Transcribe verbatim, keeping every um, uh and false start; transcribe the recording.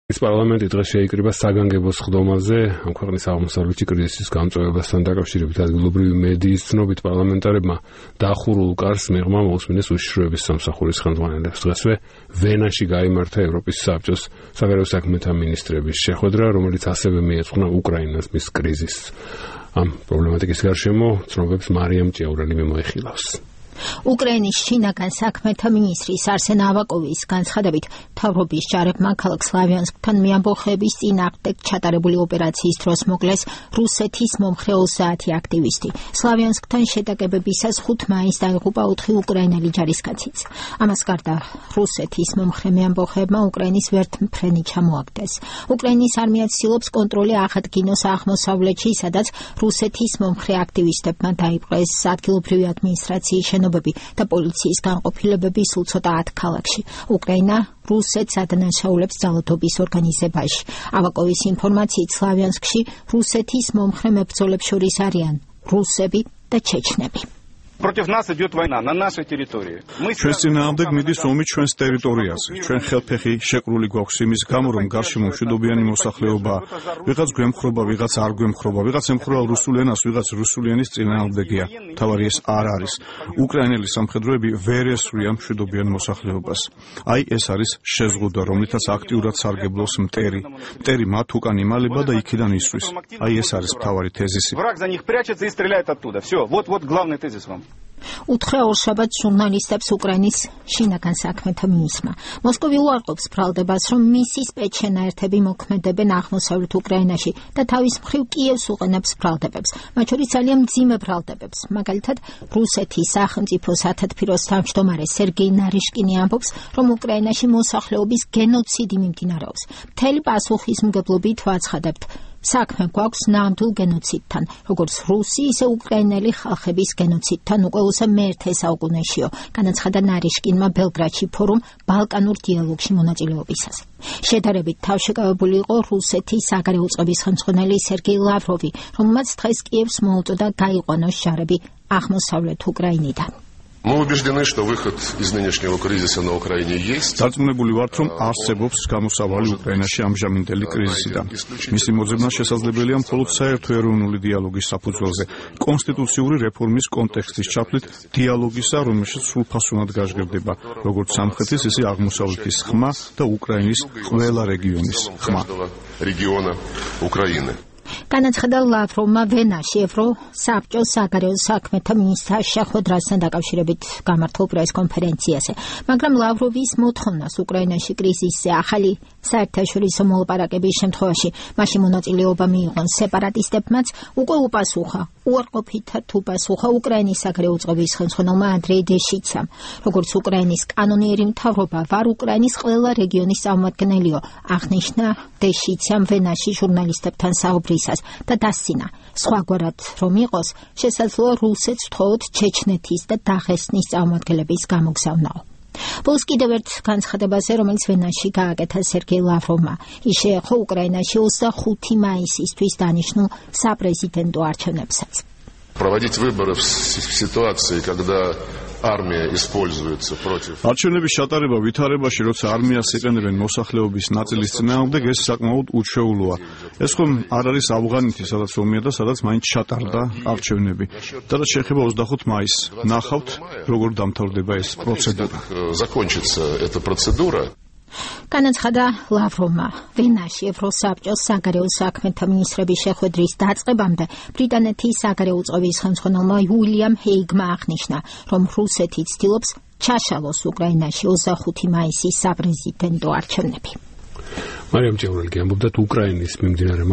პარლამენტი დღეს შეიკრიბა საგანგებო სხდომაზე ამ ქვეყნის აღმოსავლეთი კრიზისის გამწვევებასთან დაკავშირებით. ადგილობრივი მედიის ცნობით პარლამენტარებმა დახურულ კარს მიღმა მოусმინეს უშიშროების სამსახურის ხელმძღვანელებს. დღესვე ვენაში გაიმართა ევროპის საბჭოს საგარეო საქმეთა მინისტრების შეხვედრა, რომელიც ასევე მიეძღვნა უკრაინას მის კრიზისს. ამ პრობლემატიკის გარშემო ცნობებს მარიამ ჭიაურელი მიმოიხილავს. უკრაინის შინაგან საქმეთა მინისტრის არსენ ავაკოვის განცხადებით, მთავრობის ჯარებმა ქალაქ სლავიანსკთან მეამბოხეების წინააღმდეგ ჩატარებული ოპერაციის დროს მოკლეს რუსეთის მომხრე ოცდაათი აქტივისტი. სლავიანსკთან შეტაკებებისას ხუთ მაისს დაიღუპა ოთხი უკრაინელი ჯარისკაციც. ამას გარდა რუსეთის მომხრე მეამბოხეებმა უკრაინის ვერტმფრენი ჩამოაგდეს. უკრაინის არმია ცდილობს კონტროლი აღადგინოს აღმოსავლეთში, სადაც რუსეთის მომხრე აქტივისტებმა დაიპყრეს ადგილობრივი ადმინისტრაციის შენობები და პოლიციის განყოფილებები სულ ცოტა ათ ქალაქში. უკრაინა რუსეთს ადანაშაულებს ძალადობის ორგანიზებაში. ავაკოვის ინფორმაციით სლავიანსკში რუსეთის მომხრე მებრძოლებს შორის არიან რუსები და ჩეჩნები. Против нас идет война на нашей территории. Ჩვენს წინააღმდეგ მიდის ომი ჩვენს ტერიტორიაზე. ჩვენ ხელფეხი შეკრული გვაქვს იმის გამო, რომ გარშემო მშვიდობიანი მოსახლეობაა. ვიღაც გვემხრობა, ვიღაც არ გვემხრობა, ვიღაც ემხრობა რუსულ ენას, ვიღაც რუსული ენის წინააღმდეგია. თავარი ეს არ არის. უკრაინელი სამხედროები ვერ ესვრიან მშვიდობიან მოსახლეობას. აი ეს არის შეზღუდვა, რომლითაც აქტიურად სარგებლობს მტერი. მტერი მათ უკან იმალება და იქიდან ისვრის. აი ეს არის მთავარი თეზისი. Враг за них прячется и стреляет оттуда. Всё, вот вот главный тезис вам. უთხრა ორშაბათს ჟურნალისტებს უკრაინის შინაგან საქმეთა მინისტრმა. მოსკოვი უარყოფს ბრალდებას, რომ მისი სპეცშენაერთები მოქმედებენ აღმოსავლეთ უკრაინაში და თავის მხრივ კიევს უყენებს ბრალდებებს, მათ შორის ძალიან მძიმე ბრალდებებს. მაგალითად, რუსეთის სახელმწიფო სათათბიროს თავმჯდომარე სერგეი ნარიშკინი ამბობს, რომ უკრაინაში მოსახლეობის გენოციდი მიმდინარეობს. მთელი პასუხისმგებლობით ვაცხადებთ. საქმე გვაქვს ნამდვილ გენოციდთან, როგორც რუსი, ისე უკრაინელი ხალხების გენოციდთან უკვე უსა მეერთე საუკუნეშიო, განაცხადა ნარიშკინმა ბელგრადში ფორუმ ბალკანურ დიალოგში მონაწილეობისას. შედარებით თავშეკავებული იყო რუსეთის საგარეო წყობის ხელმძღვანელი სერგეი ლავროვი, რომელმაც დღეს კიევს მოუწოდა გაიყვანოს ჯარები აღმოსავლეთ უკრაინიდან. Мы убеждены, что выход из нынешнего кризиса на Украине есть. Დარწმუნებული ვართ, რომ არსებობს გამოსავალი უკრაინაში ამჟამინდელი კრიზისიდან. მისი მოძებნა შესაძლებელია მხოლოდ საერთო ეროვნული დიალოგის საფუძველზე, კონსტიტუციური რეფორმის კონტექსტის ჩაფლით დიალოგისა, რომელშიც სრულფასოვნად გაჟღერდება როგორც სამხრეთის, ისე აღმოსავლეთის ხმა და უკრაინის ყველა რეგიონის ხმა. რეგიონა უკრაინა. განაცხადა ლავროვმა ვენაში ევროსაბჭოს საგარეო საქმეთა მინისტრთა შეხვედრასთან დაკავშირებით გამართულ პრესკონფერენციაზე, მაგრამ ლავროვის მოთხოვნას უკრაინაში კრიზისზე ახალი საერთაშორისო მოლაპარაკების შემთხვევაში მაშინ მონაწილეობა მიიღონ სეპარატისტებმაც უკვე უპასუხა, უარყოფითად უპასუხა უკრაინის საგარეო წყობის ხელმძღვანელმა ანდრეი დეშიცამ. როგორც უკრაინის კანონიერი მთავრობა ვარ უკრაინის ყველა რეგიონის წარმომადგენლიო, აღნიშნა დეშიცამ ვენაში ჟურნალისტებთან საუბრისას და დასცინა. სხვაგვარად რომ იყოს, შესაძლოა რუსეთს ვთხოვოთ ჩეჩნეთის და დაღესტნის წარმომადგენლების გამოგზავნაო. ბოლოს კიდევ ერთ განცხადებაზე, რომელიც ვენაში გააკეთა სერგეი ლავროვმა, ის შეეხო უკრაინაში ოცდახუთი მაისისთვის დანიშნულ საპრეზიდენტო არჩევნებსაც. Проводить выборы в ситуации, когда армия используется против. არჩევნების ჩატარება ვითარებაში, როცა არმიას იყენებენ მოსახლეობის ნაწილის წინააღმდეგ, ეს საკმაოდ უჩვეულოა. ეს ხომ არ არის ავღანეთი, სადაც ომია და სადაც მაინც ჩატარდა არჩევნები. და შეეხება ოცდახუთ მაისს. ნახავთ, როგორ დამთავრდება ეს პროცედურა. Закончится эта процедура. განაცხადა ლავროვმა. ვენაში ევროსაბჭოს საგარეო საქმეთა მინისტრების შეხვედრის დაწყებამდე ბრიტანეთის საგარეო წყობის ხელმძღვანელმა უილიამ ჰეიგმა აღნიშნა, რომ რუსეთი ცდილობს ჩაშალოს უკრაინაში ოცდახუთი მაისის საპრეზიდენტო არჩევნები. მარიამ ჭიაურელი ამბობდა, უკრაინის მიმდინარე